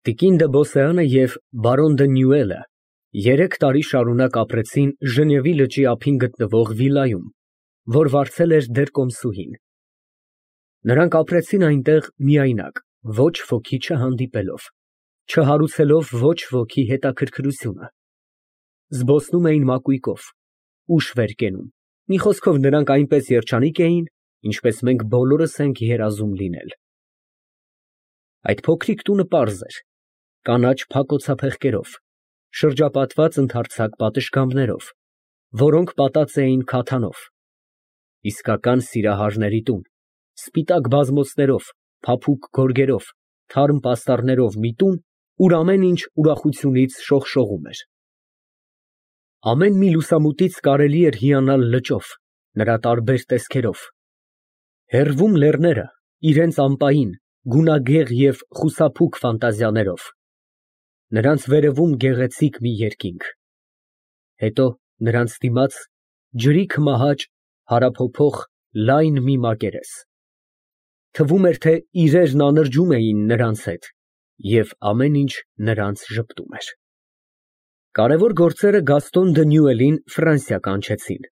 Տիկին դը Բոսեանը և բարոն դը Նյուելը 3 տարի շարունակ ապրեցին Ժնևի լճի ափին գտնվող վիլայում, որ վարձել էր դեռ կոմսուհին։ Նրանք ապրեցին այնտեղ միայնակ, ոչ ոքի չհանդիպելով, չհարուցելով ոչ ոքի հետաքրքրությունը։ Զբոսնում էին մակույկով, ուշ վեր կենում, մի խոսքով նրանք այնպես երջանիկ էին, ինչպես մենք բոլորս ենք երազում լինել։ Այդ փոքրիկ տունը պարզ էր, կանաչ փակոցափեղկերով, շրջապատված ընդարձակ պատշգամբներով, որոնք պատած էին քաթանով, իսկական սիրահարների տուն, սպիտակ բազմոցներով, փափուկ գորգերով, թարմ պաստառներով մի տուն, ուր ամեն ինչ ուրախությունից շողշողում էր։ Ամեն մի լուսամուտից կարելի էր հիանալ լճով, նրա տարբեր տեսքերով։ Հեռվում լեռները իրենց ամպային, գունագեղ և խուսափուկ ֆանտազիաներով, նրանց վերևում գեղեցիկ մի երկինք, հետո նրանց դիմաց ջրի քմահաճ հարափոփող լայն մի մակերես, թվում էր, թե իրերն անրջում էին նրանց հետ, և ամեն ինչ նրանց ժպտում էր։ Կարևոր գործերը Գաստոն դը Նյուելին Ֆրանսիա կանչեցին։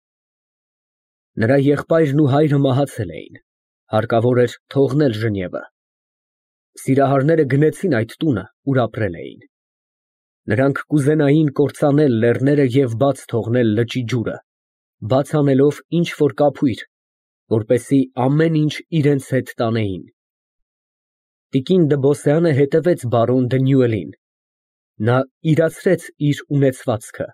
Նրա եղբայրն ու հայրը մահացել էին, հարկավոր էր թողնել Ժնևը։ Սիրահարները գնեցին այդ տունը, ուր ապրել էին։ Նրանք կուզենային կործանել լեռները և բաց թողնել լճի ջուրը, բաց անելով ինչ֊որ կափույր, որպեսզի ամեն ինչ իրենց հետ տանեին։ Տիկին դը Բոսեանը հետևեց բարոն դը Նյուելին։ Նա իրացրեց իր ունեցվածքը,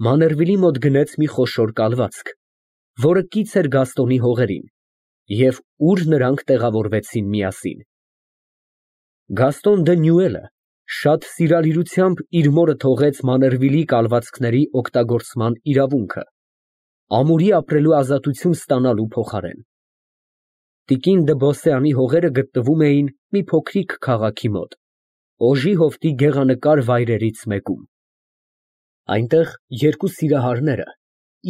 Մաներվիլի մոտ գնեց մի խոշոր կալվածք, որը կից էր Գաստոնի հողերին, և ուր նրանք տեղավորվեցին միասին։ Գաստոն դը Նյուելը շատ սիրալիրությամբ իր մորը թողեց Մաներվիլի կալվածքների օգտագործման իրավունքը, ամուրի ապրելու ազատություն ստանալու փոխարեն։ Տիկին դը Բոսեանի հողերը գտնվում էին մի փոքրիկ քաղաքի մոտ, Օժի հովտի գեղանկար վայրերից մեկում։ Այնտեղ երկու սիրահարները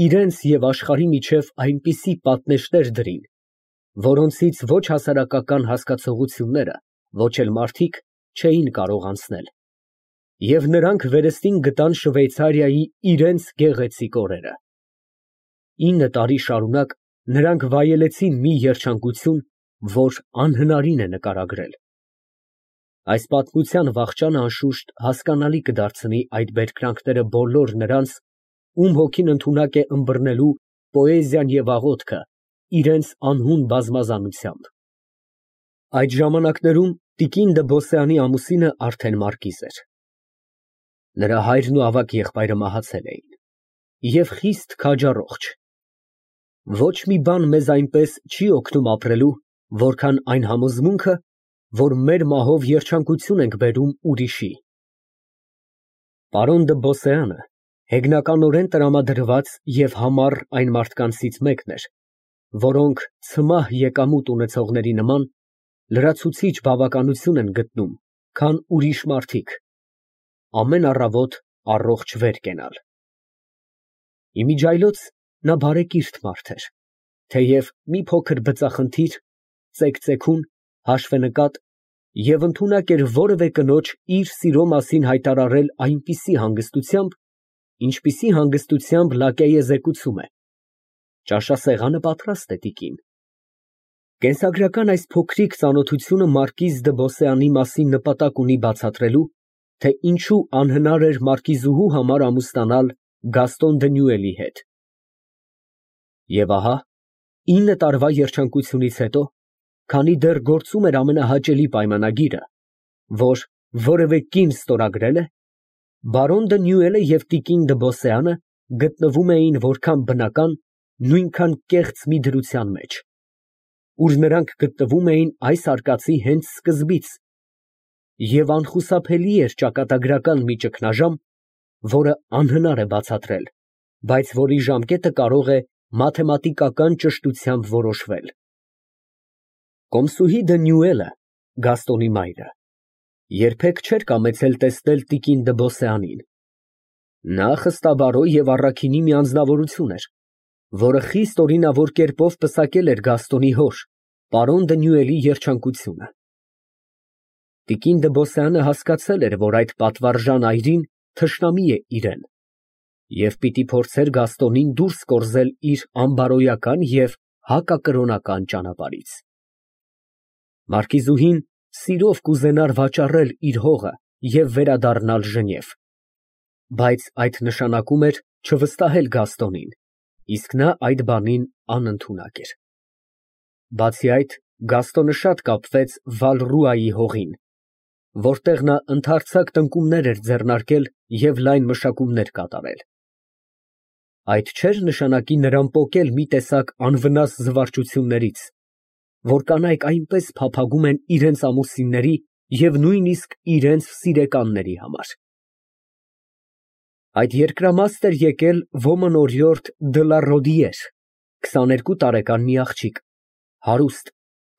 իրենց և աշխարհի միջև այնպիսի պատնեշներ դրին, որոնցից ոչ հասարակական հասկացողությունները, ոչ էլ մարդիկ չէին կարող անցնել, և նրանք վերստին գտան Շվեյցարիայի իրենց գեղեցիկ օրերը։ 9 տարի շարունակ նրանք վայելեցին մի երջանկություն, որ անհնարին է նկարագրել։ Այս պատմության վախճանը անշուշտ հասկանալի կդարձնի այդ բերկրանքները բոլոր նրանց, ում հոգին ընդունակ է ըմբռնելու պոեզիան և աղոթքը իրենց անհուն բազմազանությամբ։ Այդ ժամանակներում տիկին դը Բոսեանի ամուսինը արդեն մարկիզ էր։ Նրա հայրն ու ավագ եղբայրը մահացել էին, և խիստ քաջառողջ։ Ոչ մի բան մեզ այնպես չի օգնում ապրելու, որքան այն համոզմունքը, որ մեր մահով երջանկություն ենք բերում ուրիշի։ Պարոն դը Բոսեանը հեգնականորեն տրամադրված և համառ այն մարդկանցից մեկն էր, որոնք ցմահ եկամուտ ունեցողների նման լրացուցիչ բավականություն են գտնում, քան ուրիշ մարդիկ, ամեն առավոտ առողջ վեր կենալ։ Իմիջիայլոց նա բարեկիրթ մարդ էր, թեև մի փոքր բծախնդիր, ծեկծեկուն, հաշվենկատ և ընդունակ էր որևէ կնոջ իր սիրո մասին հայտարարել այնպիսի հանգստությամբ, ինչպիսի հանգստությամբ լակեյը զեկուցում է. ճաշասեղանը պատրաստ է, տիկին։ Կենսագրական այս փոքրիկ ծանոթությունը մարկիզ դը Բոսեանի մասին նպատակ ունի բացատրելու, թե ինչու անհնար էր մարկիզուհու համար ամուսնանալ Գաստոն դը Նյուելի հետ։ Եվ ահա, 9 տարվա երջանկությունից հետո, քանի դեռ գործում էր ամենահաճելի պայմանագիրը, որ որևէ կին ստորագրել է, բարոն դը Նյուելը և տիկին դը Բոսեանը գտնվում էին որքան բնական, նույնքան կեղծ մի դրության մեջ, ուր նրանք գտնվում էին այս արկածի հենց սկզբից, և անխուսափելի էր ճակատագրական մի ճգնաժամ, որը անհնար է բացատրել, բայց որի ժամկետը կարող է մաթեմատիկական ճշտությամբ որոշվել։ Կոմսուհի դը Նյուելը, Գաստոնի մայրը, երբեք չէր կամեցել տեսնել տիկին դը Բոսեանին։ Նա խստաբարոյ և առաքինի մի անձնավորություն էր, որը խիստ օրինավոր կերպով պսակել էր Գաստոնի հոր, պարոն դը Նյուելի երջանկությունը։ Տիկին Դբոսյանը հասկացել էր, որ այդ պատվարժան այրին թշնամի է իրան և պիտի փորձեր Գաստոնին դուրս կորզել իր անբարոյական և հակակրոնական ճանապարհից։ Մարկիզուհին սիրով կուզենար վաճառել իր հողը և վերադառնալ Ժնև, բայց այդ նշանակում էր չվստահել Գաստոնին, իսկ նա այդ բանին անընդունակ էր։ Բացի այդ, Գաստոնը շատ կապվեց Վալռուայի հողին, որտեղ նա ընդարձակ տնկումներ էր ձեռնարկել և լայն մշակումներ կատարել։ Այդ չէր նշանակի նրան պոկել մի տեսակ անվնաս զվարճություններից, որ կանայք այնպես փափագում են իրենց ամուսինների և նույնիսկ իրենց սիրեկանների համար։ Այդ երկրամաստ էր եկել ոմն֊օրիորդ Դլարոդիեր, 22 տարեկան մի աղջիկ, հարուստ,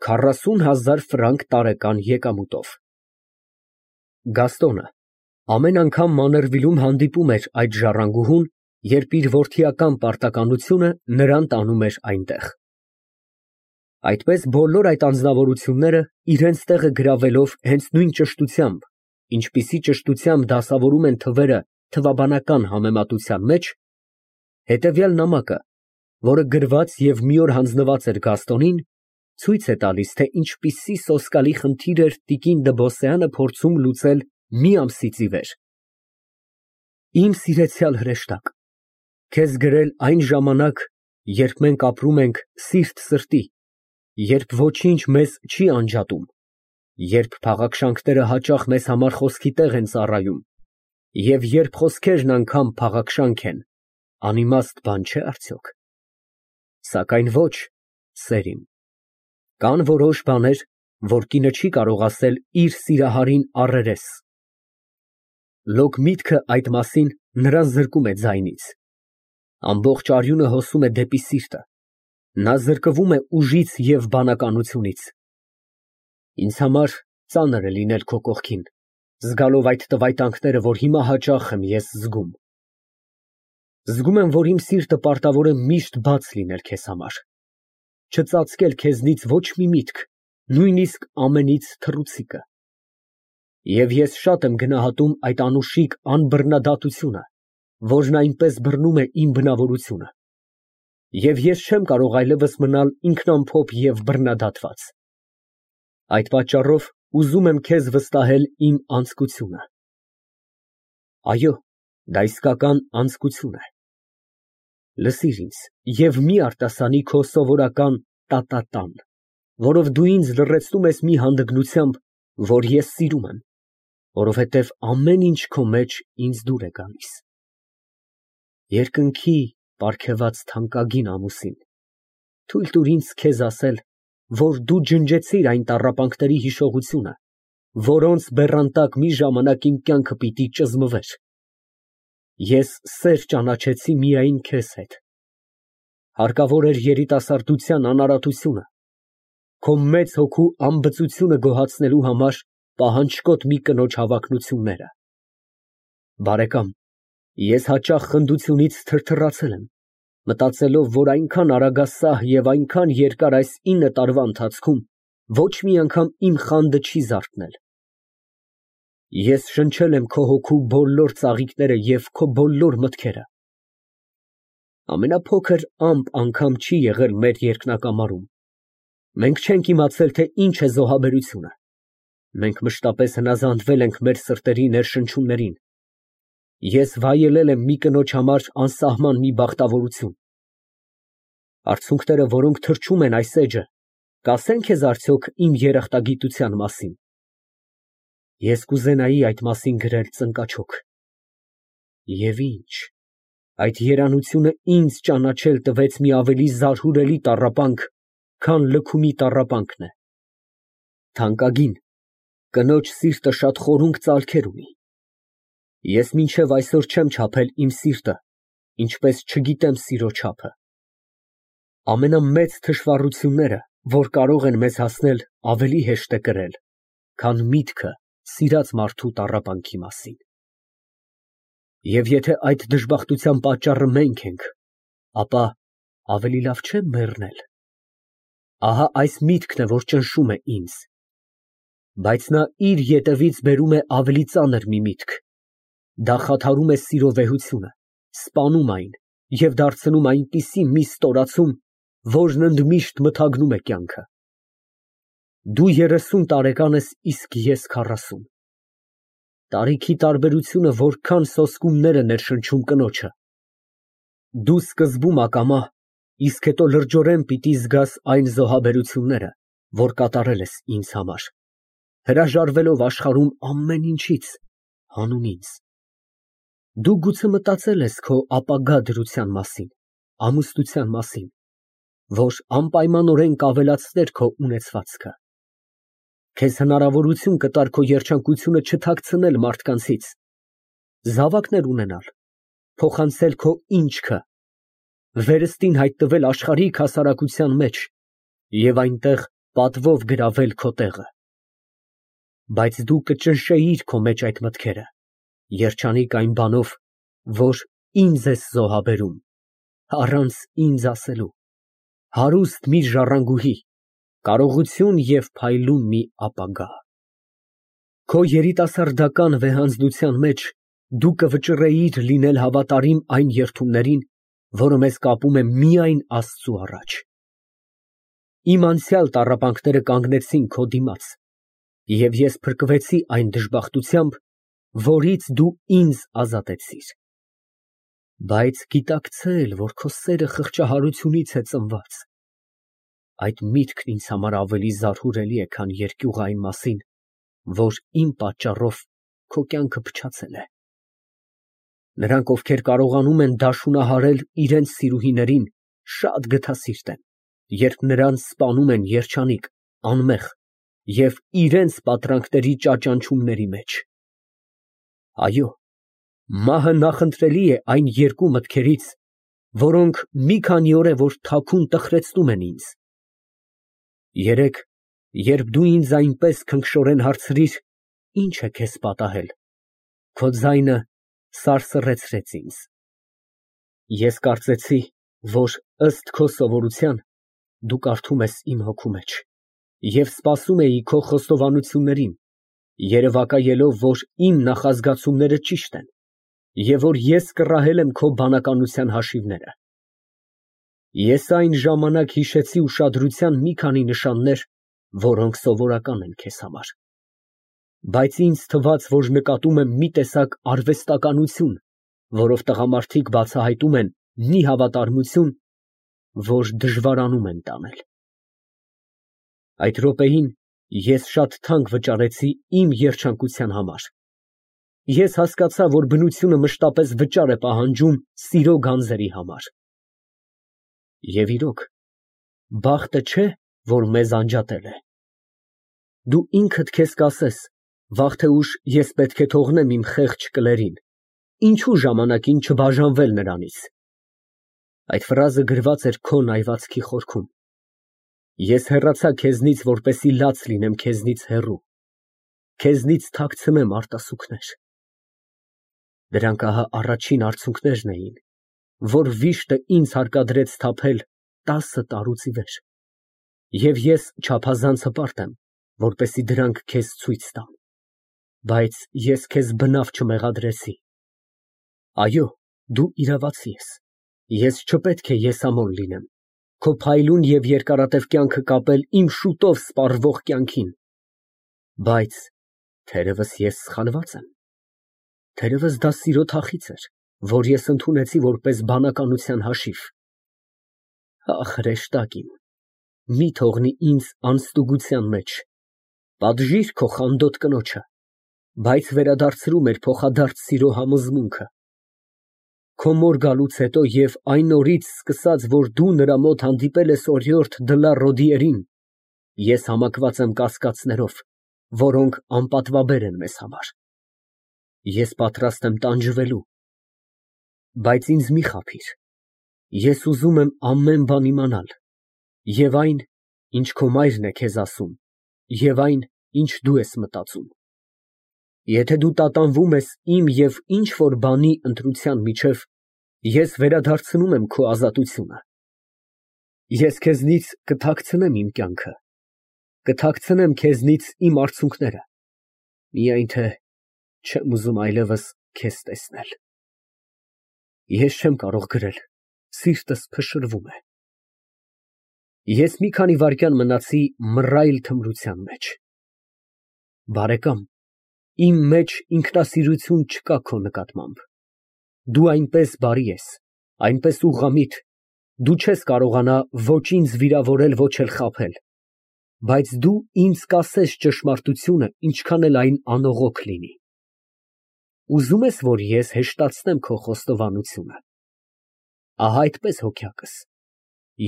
40,000 ֆրանկ տարեկան եկամուտով։ Գաստոնը ամեն անգամ Մաներվիլում հանդիպում էր այդ ժառանգուհուն, երբ իր որդիական պարտականությունը նրան տանում էր այնտեղ։ Այդպես բոլոր այդ անձնավորությունները իրենց տեղը գրավելով հենց նույն ճշտությամբ, ինչպիսի ճշտությամբ դասավորում են թվերը թվաբանական համեմատության մեջ, հետևյալ նամակը, որը գրված և մի օր հանձնված էր Գաստոնին, ցույց է տալիս, թե ինչպիսի սոսկալի խնդիր էր տիկին Դբոսյանը փորձում լուծել մի ամսից ի վեր։ Իմ սիրեցյալ հրեշտակ, քեզ գրել այն ժամանակ, երբ մենք ապրում ենք սիրտ սրտի, երբ ոչինչ մեզ չի անջատում, երբ փաղաքշանքները հաճախ մեզ համար խոսքի տեղ են ծառայում, և երբ խոսքերն անգամ փաղաքշանք են, անիմաստ բան չէ՞ արդյոք։ Սակայն ոչ, սեր իմ, կան որոշ բաներ, որ կինը չի կարող ասել իր սիրահարին առերես։ Լոկ միտքը այդ մասին նրան զրկում է ձայնից։ Ամբողջ արյունը հոսում է դեպի սիրտը, նա զրկվում է ուժից և բանականությունից։ Ինձ համար ծանր է լինել քո կողքին, զգալով այդ տվայտանքները, որ հիմա հաճախ եմ ես զգում։ Զգում եմ, որ իմ սիրտը պարտավոր է միշտ բաց լինել քեզ համար, չծածկել քեզնից ոչ մի միտք, նույնիսկ ամենից թռուցիկը։ Եվ ես շատ եմ գնահատում այդ անուշիկ անբռնադատությունը, որն այնպես բռնում է իմ բնավորությունը, և ես չեմ կարող այլևս մնալ ինքնամփոփ և բռնադատված։ Այդ պատճառով ուզում եմ քեզ վստահել իմ անձկությունը։ Այո, դա իսկական անձկություն է։ Լսիր ինձ և մի արտասանի քո սովորական տա֊տա֊տան, որով դու ինձ լռեցնում ես մի հանդգնությամբ, որ ես սիրում եմ, որովհետև ամեն ինչ քո մեջ ինձ դուր է գալիս։ Երկնքի պարգևած թանկագին ամուսին, թույլ տուր ինձ քեզ ասել, որ դու ջնջեցիր այն տառապանքների հիշողությունը, որոնց բեռանտակ մի ժամանակ իմ կյանքը պիտի ճզմվեր։ Ես սեր ճանաչեցի միայն քեզ հետ։ Հարկավոր էր երիտասարդության անարատությունը, քո մեծ հոգու անբծությունը գոհացնելու համար պահանջկոտ մի կնոջ հավակնությունները։ Բարեկամ, ես հաճախ խնդությունից թրթռացել եմ, մտածելով, որ այնքան արագասահ և այնքան երկար այս 9 տարվա ընթացքում ոչ մի անգամ իմ խանդը չի զարթնել։ Ես շնչել եմ քո հոգու բոլոր ծաղիկները և քո բոլոր մտքերը։ Ամենափոքր ամպ անգամ չի եղել մեր երկնակամարում։ Մենք չենք իմացել, թե ինչ է զոհաբերությունը։ Մենք մշտապես հնազանդվել ենք մեր սրտերի ներշնչումներին։ Ես վայելել եմ մի կնոջ համար անսահման մի բախտավորություն։ Արցունքները, որոնք թրջում են այս էջը, կասեն քեզ արդյոք իմ երախտագիտության մասին։ Ես կուզենայի այդ մասին գրել ծնկաչոք։ Եվ ինչ, այդ երանությունը ինձ ճանաչել տվեց մի ավելի զարհուրելի տառապանք, քան լքումի տառապանքն է։ Թանկագին, կնոջ սիրտը շատ խորունկ ծալքեր ունի։ Ես մինչև այսօր չեմ չափել իմ սիրտը, ինչպես չգիտեմ սիրո չափը։ Ամենամեծ թշվառությունները, որ կարող են մեզ հասնել, ավելի հեշտ է կրել, քան միտքը սիրած մարդու տառապանքի մասին։ Եվ եթե այդ դժբախտության պատճառը մենք ենք, ապա ավելի լավ չէ մեռնել։ Ահա այս միտքն է, որ ճնշում է ինձ։ Բայց նա իր ետևից բերում է ավելի ծանր մի միտք. դա խաթարում է սիրո վեհությունը, սպանում այն և դարձնում այնպիսի մի ստորացում, որն ընդմիշտ մթագնում է կյանքը։ Դու 30 տարեկան ես, իսկ ես 40։ Տարիքի տարբերությունը որքան սոսկումներ է ներշնչում կնոջը։ Դու սկզբում ակամա, իսկ հետո լրջորեն պիտի զգաս այն զոհաբերությունները, որ կատարել ես ինձ համար, հրաժարվելով աշխարհում ամեն ինչից, հանուն ինձ։ Դու գուցե մտածել ես քո ապագա դրության մասին, ամուսնության մասին, որ անպայմանորեն կավելացներ քո ունեցվածքը։ Քեզ հնարավորություն կտար քո երջանկությունը չթաքցնել մարդկանցից, զավակներ ունենալ, փոխանցել քո ինչքը, վերստին հայտնվել աշխարհիկ հասարակության մեջ և այնտեղ պատվով գրավել քո տեղը։ Բայց դու կճնշեիր քո մեջ այդ մտքերը, երջանիկ այն բանով, որ ինձ ես զոհաբերում, առանց ինձ ասելու, հարուստ մի ժառանգուհի, կարողություն և փայլուն մի ապագա։ Քո երիտասարդական վեհանձնության մեջ դու կվճռեիր լինել հավատարիմ այն երդումներին, որը մեզ կապում է միայն Աստծու առաջ։ Իմ անցյալ տառապանքները կանգնեցին քո դիմաց, և ես փրկվեցի այն դժբախտությամբ, որից դու ինձ ազատեցիր։ Բայց գիտակցել, որ քո սերը խղճահարությունից է ծնված, այդ միտքն ինձ համար ավելի զարհուրելի է, քան երկյուղը այն մասին, որ իմ պատճառով քո կյանքը փչացել է։ Նրանք, ովքեր կարողանում են դաշունահարել իրենց սիրուհիներին, շատ գթասիրտ են, երբ նրանց սպանում են երջանիկ, անմեղ և իրենց պատրանքների ճաճանչումների մեջ։ Այո, մահը նախընտրելի է այն երկու մտքերից, որոնք մի քանի օր է, որ թաքուն տխրեցնում են ինձ։ Երեկ, երբ դու ինձ այնպես քնքշորեն հարցրիր, ի՞նչ է քեզ պատահել, քո ձայնը սարսռեցրեց ինձ։ Ես կարծեցի, որ ըստ քո սովորության, դու կարդում ես իմ հոգու մեջ և սպասում էի քո խոստովանություններին, երևակայելով, որ իմ նախազգացումները ճիշտ են և որ ես կռահել եմ քո բանականության հաշիվները։ Ես այն ժամանակ հիշեցի ուշադրության մի քանի նշաններ, որոնք սովորական են քեզ համար։ Բայց ինձ թվաց, որ նկատում եմ մի տեսակ արվեստականություն, որով տղամարդիկ բացահայտում են մի հավատարմություն, որ դժվարանում են տանել։ Այդ րոպեին ես շատ թանկ վճարեցի իմ երջանկության համար։ Ես հասկացա, որ բնությունը մշտապես վճար է պահանջում սիրո գանձերի համար։ Եվ իրոք, բախտը չէ, որ մեզ անջատել է։ Դու ինքդ քեզ կասես, վաղ թե ուշ ես պետք է թողնեմ իմ խեղճ կլերին, ինչու ժամանակին չբաժանվել նրանից։ Այդ ֆրազը գրված էր քո նայվածքի խորքում։ Ես հեռացա քեզնից, որպեսզի լաց լինեմ քեզնից հեռու, քեզնից թաքցնեմ արտասուքներ։ Դրանք ահա առաջին արցունքներն էին, որ վիշտը ինձ հարկադրեց թափել 10 տարուց ի վեր, և ես չափազանց հպարտ եմ, որպեսզի դրանք քեզ ցույց տամ, բայց ես քեզ բնավ չմեղադրեցի։ Այո, դու իրավացի ես, ես չպետք է եսամոլ լինեմ, քո փայլուն և երկարատև կյանքը կապել իմ շուտով սպառվող կյանքին, բայց թերևս ես սխալված եմ, թերևս դա սիրո թախիծ էր, որ ես ընդունեցի որպես բանականության հաշիվ։ Ախ, հրեշտակ իմ, մի թողնի ինձ անստուգության մեջ, պատժիր քո խանդոտ կնոջը, բայց վերադարձրու մեր փոխադարձ սիրո համոզմունքը։ Քո մոր գալուց հետո և այն օրից սկսած, որ դու նրա մոտ հանդիպել ես օրիորդ Դլա-Ռոդիերին, ես համակված եմ կասկածներով, որոնք անպատվաբեր են մեզ համար։ Ես պատրաստ եմ տանջվելու, բայց ինձ մի խաբիր, ես ուզում եմ ամեն բան իմանալ, և այն, ինչ քո մայրն է քեզ ասում, և այն, ինչ դու ես մտածում։ Եթե դու տատանվում ես իմ և ինչ֊որ բանի ընտրության միջև, ես վերադարձնում եմ քո ազատությունը։ Ես քեզնից կթաքցնեմ իմ կյանքը, կթաքցնեմ քեզնից իմ արցունքները, միայն թե չեմ ուզում այլևս քեզ տեսնել։ Ես չեմ կարող գրել, սիրտս փշրվում է։ Ես մի քանի վայրկյան մնացի մռայլ թմրության մեջ։ Բարեկամ, իմ մեջ ինքնասիրություն չկա քո նկատմամբ։ Դու այնպես բարի ես, այնպես ուղղամիտ, դու չես կարողանա ոչ ինձ վիրավորել, ոչ էլ խաբել, բայց դու ինձ կասես ճշմարտությունը, ինչքան էլ այն անողոք լինի։ Ուզում ես, որ ես հեշտացնեմ քո խոստովանությունը։ Ահա այդպես հոգյակս,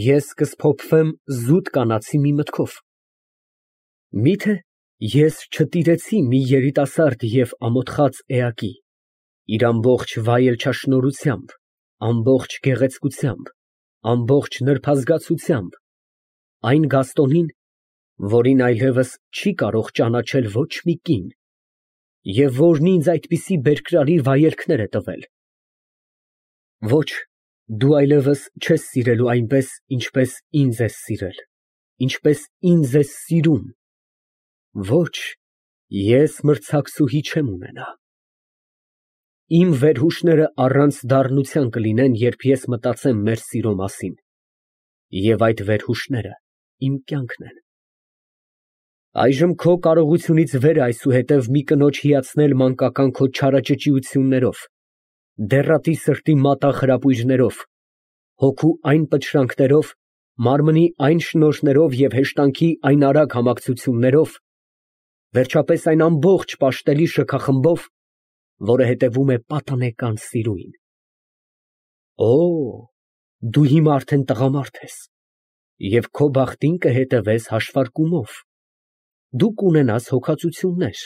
ես կսփոփվեմ զուտ կանացի մի մտքով։ Միթե ես չտիրեցի մի երիտասարդ և ամոթխած էակի, իր ամբողջ վայելչաշնորհությամբ, ամբողջ գեղեցկությամբ, ամբողջ նրբազգացությամբ, այն Գաստոնին, որին այլևս չի կարող ճանաչել ոչ մի կին, և որն ինձ այդպիսի բերկրալի վայելքներ է տվել։ Ոչ, դու այլևս չես սիրելու այնպես, ինչպես ինձ ես սիրել, ինչպես ինձ ես սիրում։ Ոչ, ես մրցակցուհի չեմ ունենա։ Իմ վերհուշները առանց դառնության կլինեն, երբ ես մտածեմ մեր սիրո մասին, և այդ վերհուշները իմ կյանքն են։ Այժմ քո կարողությունից վեր է այսուհետև մի կնոջ հիացնել մանկական քո չարաճճիություններով, դեռատի սրտի մատաղ հրապույրներով, հոգու այն պչրանքներով, մարմնի այն շնորհներով և հեշտանքի այն արագ համակցություններով, վերջապես այն ամբողջ պաշտելի շքախմբով, որը հետևում է պատանեկան սիրուին։ Օ, դու հիմա արդեն տղամարդ ես, և քո բախտին կհետևես հաշվարկումով։ Դու կունենաս հոգածություններ,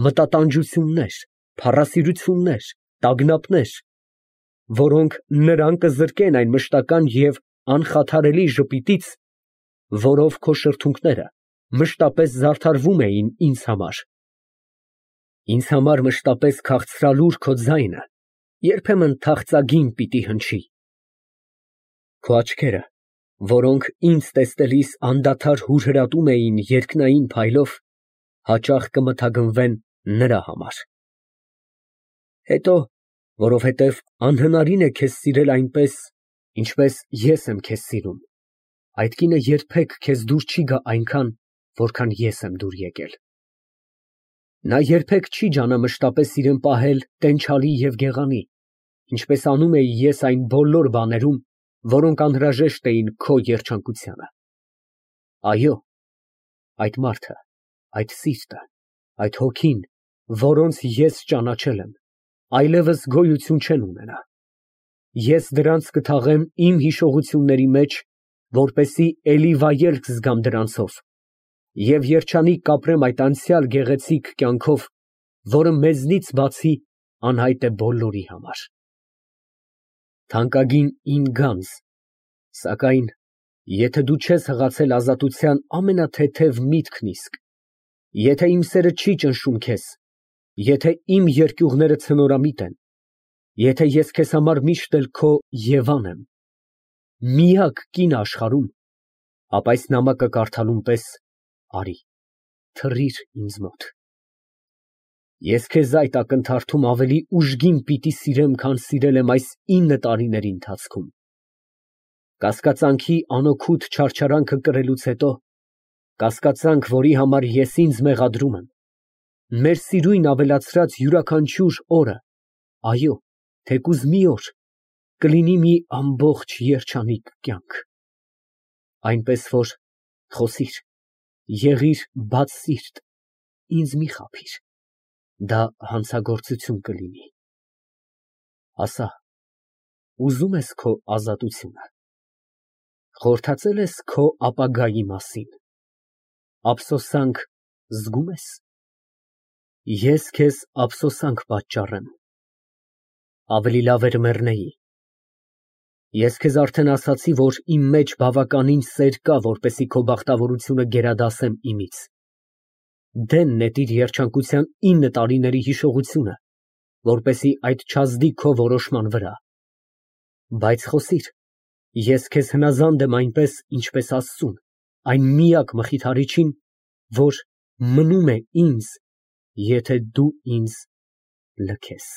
մտատանջություններ, փառասիրություններ, տագնապներ, որոնք նրան կզրկեն այն մշտական և անխաթարելի ժպիտից, որով քո շրթունքները մշտապես զարդարվում էին ինձ համար։ Ինձ համար մշտապես քաղցրալուր քո ձայնը երբեմն թախծագին պիտի հնչի։ Քո աչքերը, որոնք ինձ տեսնելիս անդադար հուրհրատում էին երկնային փայլով, հաճախ կմթագնվեն նրա համար։ Հետո, որովհետև անհնարին է քեզ սիրել այնպես, ինչպես ես եմ քեզ սիրում, այդ կինը երբեք քեզ դուր չի գա այնքան, որքան ես եմ դուր եկել։ Նա երբեք չի ջանա մշտապես իրեն պահել տենչալի և գեղանի, ինչպես անում էի ես այն բոլոր բաներում, որոնք անհրաժեշտ էին քո երջանկությանը։ Այո, այդ մարդը, այդ սիրտը, այդ հոգին, որոնց ես ճանաչել եմ, այլևս գոյություն չեն ունենա։ Ես դրանց կթաղեմ իմ հիշողությունների մեջ, որպեսզի էլի վայելք զգամ դրանցով և երջանիկ կապրեմ այդ անցյալ գեղեցիկ կյանքով, որը մեզնից բացի անհայտ է բոլորի համար։ Թանկագին իմ գանձ, սակայն եթե դու չես հղացել ազատության ամենաթեթև միտքն իսկ, եթե իմ սերը չի ճնշում քեզ, եթե իմ երկյուղները ցնորամիտ են, եթե ես քեզ համար միշտ էլ քո Եվան եմ, միակ կինը աշխարհում, ապա այս նամակը կարդալուն պես արի, թռիր ինձ մոտ։ Ես քեզ այդ ակնթարթում ավելի ուժգին պիտի սիրեմ, քան սիրել եմ այս 9 տարիների ընթացքում։ Կասկածանքի անօգուտ չարչարանքը կրելուց հետո, կասկածանք, որի համար ես ինձ մեղադրում եմ, մեր սիրույն ավելացրած յուրաքանչյուր օրը, այո, թեկուզ մի օր, կլինի մի ամբողջ երջանիկ կյանք։ Այնպես որ խոսիր, եղիր բաց սիրտ, ինձ մի խաբիր, դա հանցագործություն կլինի։ Ասա, ուզո՞ւմ ես քո ազատությունը, խորհրդածե՞լ ես քո ապագայի մասին, ափսոսանք զգո՞ւմ ես։ Ես քեզ ափսոսանք պատճառեմ, ավելի լավ էր մեռնեի։ Ես քեզ արդեն ասացի, որ իմ մեջ բավականին սեր կա, որպեսզի քո բախտավորությունը գերադասեմ իմից։ Դեն նետիր երջանկության 9 տարիների հիշողությունը, որպեսզի այդ չազդի քո որոշման վրա։ Բայց խոսիր, ես քեզ հնազանդ եմ այնպես, ինչպես Աստծուն, այն միակ մխիթարիչին, որ մնում է ինձ, եթե դու ինձ լքես։